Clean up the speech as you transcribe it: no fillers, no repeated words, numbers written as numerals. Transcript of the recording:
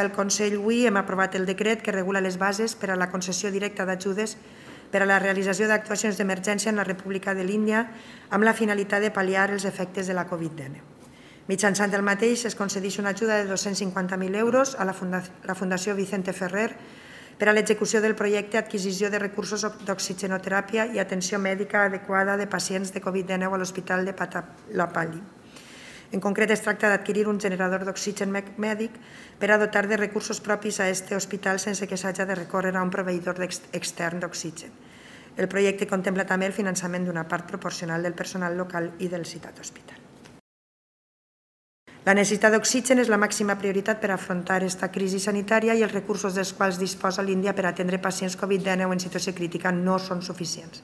El Consell avui hem aprovat el decret que regula les bases per a la concessió directa d'ajudes per a la realització d'actuacions d'emergència en la República de l'Índia amb la finalitat de pal·liar els efectes de la Covid-19. Mitjançant el mateix es concedeix una ajuda de 250.000 euros a la Fundació Vicente Ferrer per a l'execució del projecte Adquisició de recursos d'oxigenoteràpia i atenció mèdica adequada de pacients de Covid-19 a l'Hospital de Patallapalli. En concret, es tracta d'adquirir un generador d'oxigen mèdic per a dotar de recursos propis a aquest hospital sense que s'hagi de recórrer a un proveïdor extern d'oxigen. El projecte contempla també el finançament d'una part proporcional del personal local i del citat hospital. La necessitat d'oxigen és la màxima prioritat per afrontar aquesta crisi sanitària i els recursos dels quals disposa l'Índia per atendre pacients Covid-19 en situació crítica no són suficients.